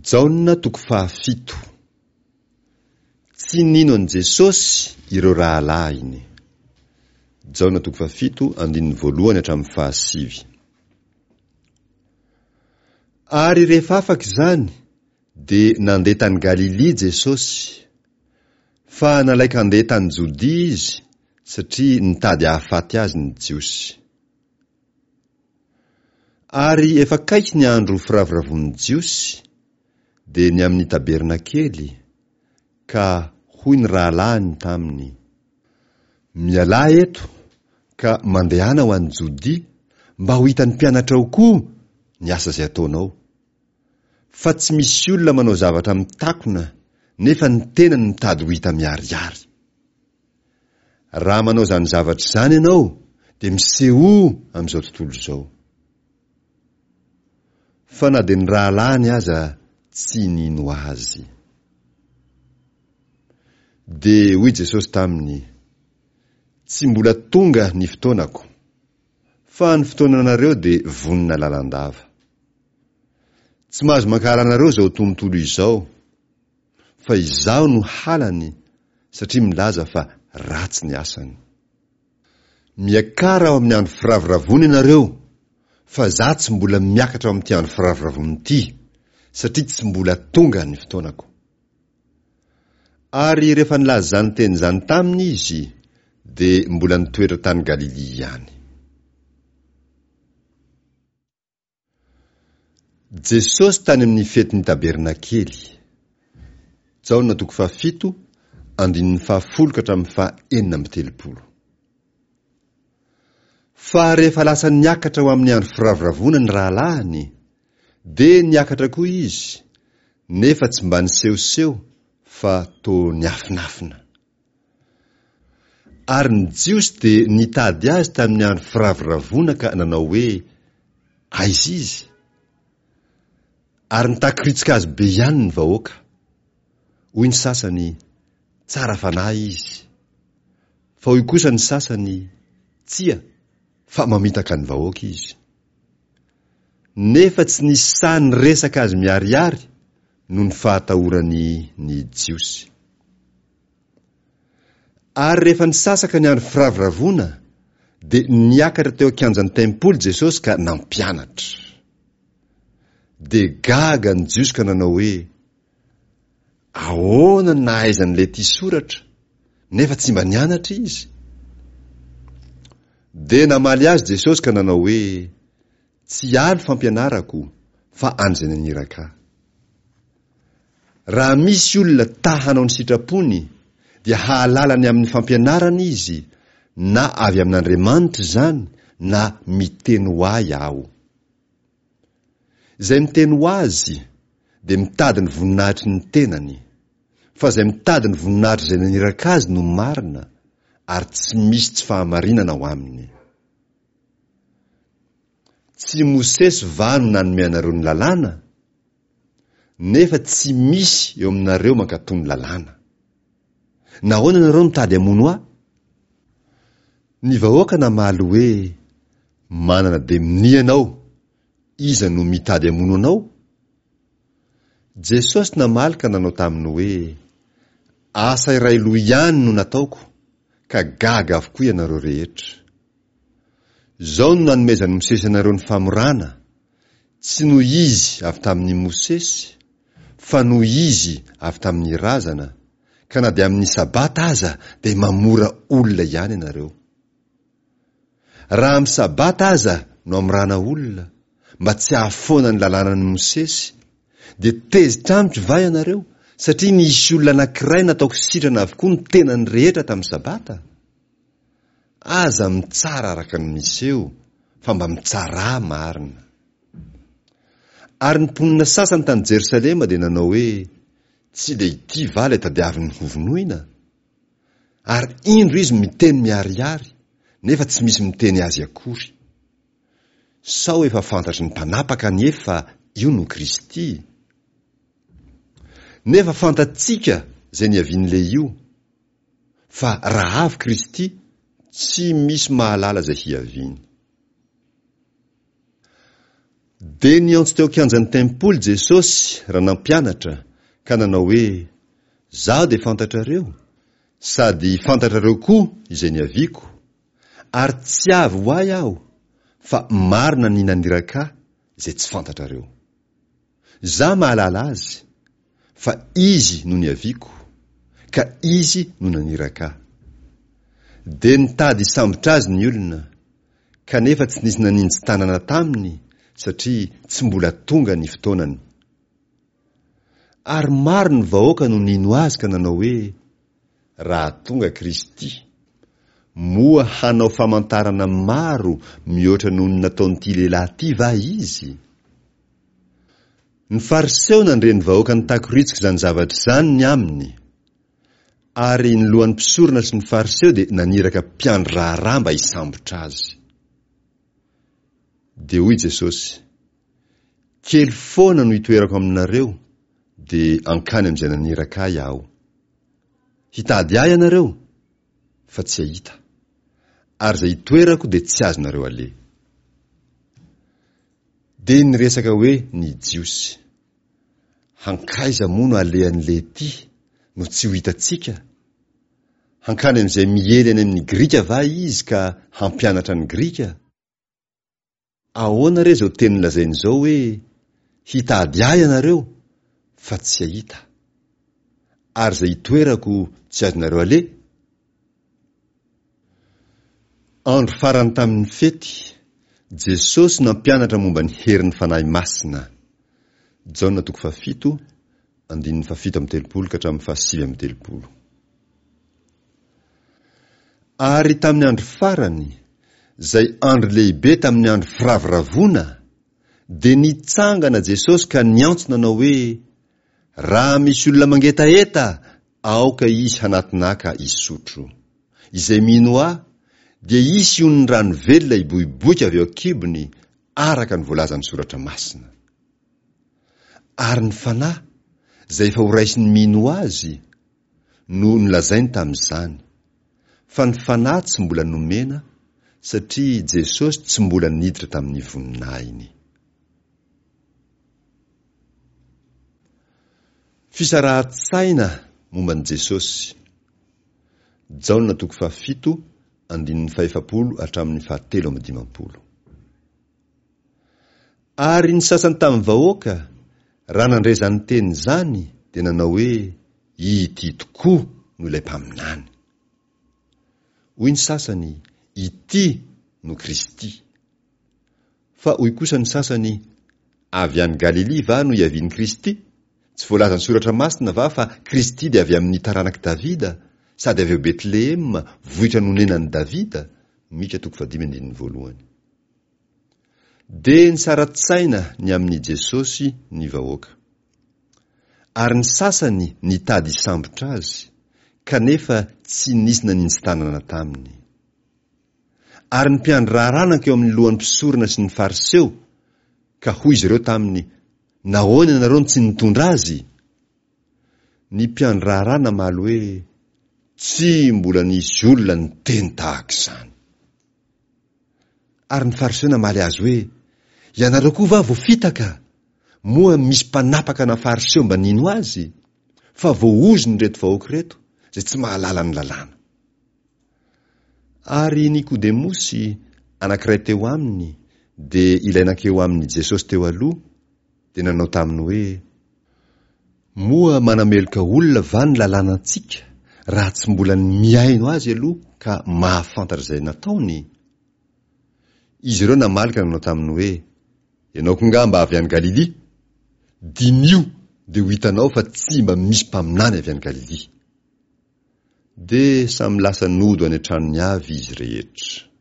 Jaona toko fahafito. Tsy nino an'i Jesosy ireo rahalahiny. Jaona toko fahafito andininy voalohany hatramin'ny fahasivy. Ary rehefa afaka izany dia nandeha tany Galilia Jesosy. Fa nalain-kandeha tany Jodia Izy satria nitady hahafaty Azy ny Jiosy. Ary efa akaiky ny andro firavoravoan'ny Jiosy, dia ny amin'ny tabernakely, ka hoy ny rahalahiny taminy, Mialà eto ka mandehana ho any Jodia, mba ho hitan'ny mpianatrao koa ny asa izay ataonao. Fa tsy misy olona manao zavatra mitakona nefa ny tenany mitady ho hita miharihary. Raha manao izany zavatra izany ianao dia misehoa amin'izao tontolo izao. Fa na dia ny rahalahiny aza tsy nino azy. Dia hoy Jesosy taminy, Tsy mbola tonga ny fotoanako, fa ny fotoananareo dia vonona lalandava. Tsy mahazo mankahala anareo izao tontolo izao, fa izaho no halany satria milaza fa ratsy ny asany. Miakara ao amin'ny andro firavoravoana ianareo, fa za tsy mbola miakatra ao amin'ity andro firavoravoana ity, satria tsy mbola tonga ny fotoanako. Ary rehefa nilaza izany teny izany taminy izy, dia mbola nitoetra tany Galilia ihany. Jesosy tany amin'ny fetin'ny Tabernakely. Jaona toko fahafito, andininy fahafolo ka hatramin'ny faha 36. Fa rehefa lasa niakatra ho amin'ny andro firavoravoana ny rahalahiny, dia niakatra koa izy, nefa tsy mba nisehoseho fa toa niafinafina. Ary ny Jiosy dia nitady azy tamin'ny andro firavoravoana ka nanao hoe, Aiza izy? Ary nitakoritsika azy be ihany ny vahoaka. Hoy ny sasany, Tsara fanahy izy. Fa hoy kosa ny sasany, Tsia, fa mamitaka ny vahoaka izy. Nefa tsy nisy sahy niresaka azy miharihary noho ny fahatahorany ny Jiosy. Ary rehefa nisasaka ny andro firavoravoana, dia niakatra teo an-kianjan'ny tempoly Jesosy ka nampianatra. Dia gaga ny Jiosy ka nanao hoe, Ahoana no nahaizan'ilay ity soratra, nefa tsy mba nianatra izy? Dia namaly azy Jesosy ka nanao hoe, Tsy ahy ny fampianarako, fa an'izay naniraka ahy. Raha misy olona ta hanao ny sitrapony, dia hahalala ny amin'ny fampianarana izy, na avy amin'Andriamanitra izany, na miteny ho ahy aho. Izay miteny ho azy, dia mitady ny voninahitry ny tenany, fa izay mitady ny voninahitr'izay naniraka azy no marina, ary tsy misy tsy fahamarinana ao aminy. Tsy Mosesy va no nanome anareo ny lalàna? Nefa tsy misy eo aminareo mankatò ny lalàna. Nahoana ianareo mitady hamono ahy? Ny vahoaka namaly hoe, Manana demonia ianao, iza no mitady hamono anao? Jesosy namaly ka nanao taminy hoe, Asa iray loha ihany no nataoko, ka gaga avokoa ianareo rehetra. Izao no nanomezan'i Mosesy anareo ny famorana, tsy noho izy avy tamin'i Mosesy, fa noho izy avy tamin'ny razana, ka na dia amin'ny Sabata aza dia mamora olona ihany ianareo. Raha amin'ny Sabata aza no amorana olona, mba tsy hahafoana ny lalànan'i Mosesy, dia tezitra amiko va ianareo, satria nisy olona anankiray nataoko sitrana avokoa ny tenany rehetra tamin'ny Sabata? Aza mitsara araka ny miseho, fa mba mitsarà marina. Ary ny mponina sasany tany Jerosalema dia nanao hoe, Tsy dia ity va ilay tadiaviny hovonoina? Ary indro izy miteny miharihary, nefa tsy misy miteny azy akory. Sao efa fantatry ny mpanapaka anie fa io no Kristy? Nefa fantatsika izay niavian'ilay io. Fa raha avy Kristy, tsy misy mahalala izay hiaviany. Dia niantso teo an-kianjan'ny tempoly Jesosy raha nampianatra, ka nanao hoe, Izaho dia fantatrareo, sady fantatrareo koa izay niaviako, ary tsy avy ho ahy aho, fa marina ny naniraka ahy izay tsy fantatrareo. Izaho mahalala azy, fa izy no niaviako, ka izy no naniraka ahy. Dia nitady hisambotra azy ny olona, kanefa tsy nisy naninji-tanana taminy satria tsy mbola tonga ny fotoanany. Ary maro ny vahoaka no nino azy ka nanao hoe, Raha tonga Kristy, moa hanao famantarana maro mihoatra noho ny nataon'ity lehilahy ity va Izy? Ny Fariseo nandre ny vahoaka nitakoritsika izany zavatra izany ny aminy. Ary ny lohan'ny mpisorona sy ny Fariseo dia naniraka mpiandry raharaha mba hisambotra azy. Dia hoy Jesosy, Kely foana no itoerako aminareo, dia hankany amin'izay naniraka ahy aho. Hitady ahy ianareo, fa tsy hahita. Ary izay itoerako dia tsy azonareo aleha. Dia niresaka hoe ny Jiosy. Hankaiza moa no alehan'i Lety no tsy ho hitantsika? Hankany amin'izay miely any amin'ny Grika va izy ka hampianatra ny Grika? Ahoana re izao teny lazainy izao hoe, Hitady ahy ianareo, fa tsy hahita, ary izay itoerako tsy azonareo aleha? Andro farany tamin'ny fety, Jesosy nampianatra momba ny herin'ny Fanahy Masina. Jaona toko fahafito, andininy fahafito amby telopolo ka hatramin'ny fahasivy amby telopolo. Ary tamin'ny andro farany, izay andro lehibe tamin'ny andro firavoravoana, dia nitsangana Jesosy ka niantso nanao hoe, Raha misy olona mangetaheta, Aoka izy hanatona ahy ka hisotro. Izay mino ahy, dia hisy onin'ny rano velona hiboiboika avy ao an-kibony, araka ny voalazan'ny Soratra Masina. Ary ny Fanahy, izay efa horaisin'ny mino azy, no nolazainy tamin'izany. Fa ny Fanahy tsy mbola nomena, satria Jesosy tsy mbola niditra tamin'ny voninahiny. Fisarahan-tsaina momba an'i Jesosy. Jaona toko fahafito, andininy fahefapolo hatramin'ny fahatelo amby dimampolo. Ary ny sasany tamin'ny vahoaka, raha nandre izany teny izany, dia nanao hoe, Ity tokoa no ilay mpaminany. Hoy ny sasany, Ity no Kristy. Fa hoy kosa ny sasany, Avy any Galilia va no hiavian'i Kristy? Tsy voalazan'ny Soratra Masina va fa Kristy dia avy amin'ny taranak'i Davida, sady avy ao Betlehema, vohitra nonenan'i Davida? Mika toko fahadimy andininy voalohany. Dia nisara-tsaina ny amin'i Jesosy ny vahoaka. Ary ny sasany nitady hisambotra azy, kanefa tsy nisy naninji-tanana taminy. Ary ny mpiandry raharaha nankeo amin'ny lohan'ny mpisorona sy ny Fariseo, ka hoy izy ireo taminy, Nahoana ianareo no tsy nitondra azy? Ny mpiandry raharaha namaly hoe, Tsy mbola nisy olona niteny tahaka izany. Ary ny Fariseo namaly azy hoe, Ianareo koa va voafitaka? Moa misy mpanapaka na Fariseo mba nino azy? Fa voaozona ireto vahoaka ireto, izay tsy mahalala ny lalàna. Ary Nikodemosy, anankiray teo aminy, dia ilay nankeo amin'i Jesosy teo aloha, dia nanao taminy hoe, Moa manameloka olona va ny lalànantsika, raha tsy mbola ny mihaino azy aloha ka mahafantatra izay nataony? Izy ireo namaly ka nanao taminy hoe, Ianao koa angaha mba avy any Galilia? Diniho dia ho hitanao fa tsy mba misy mpaminany avy any Galilia. Dia samy lasa nody any an-tranony avy izy rehetra.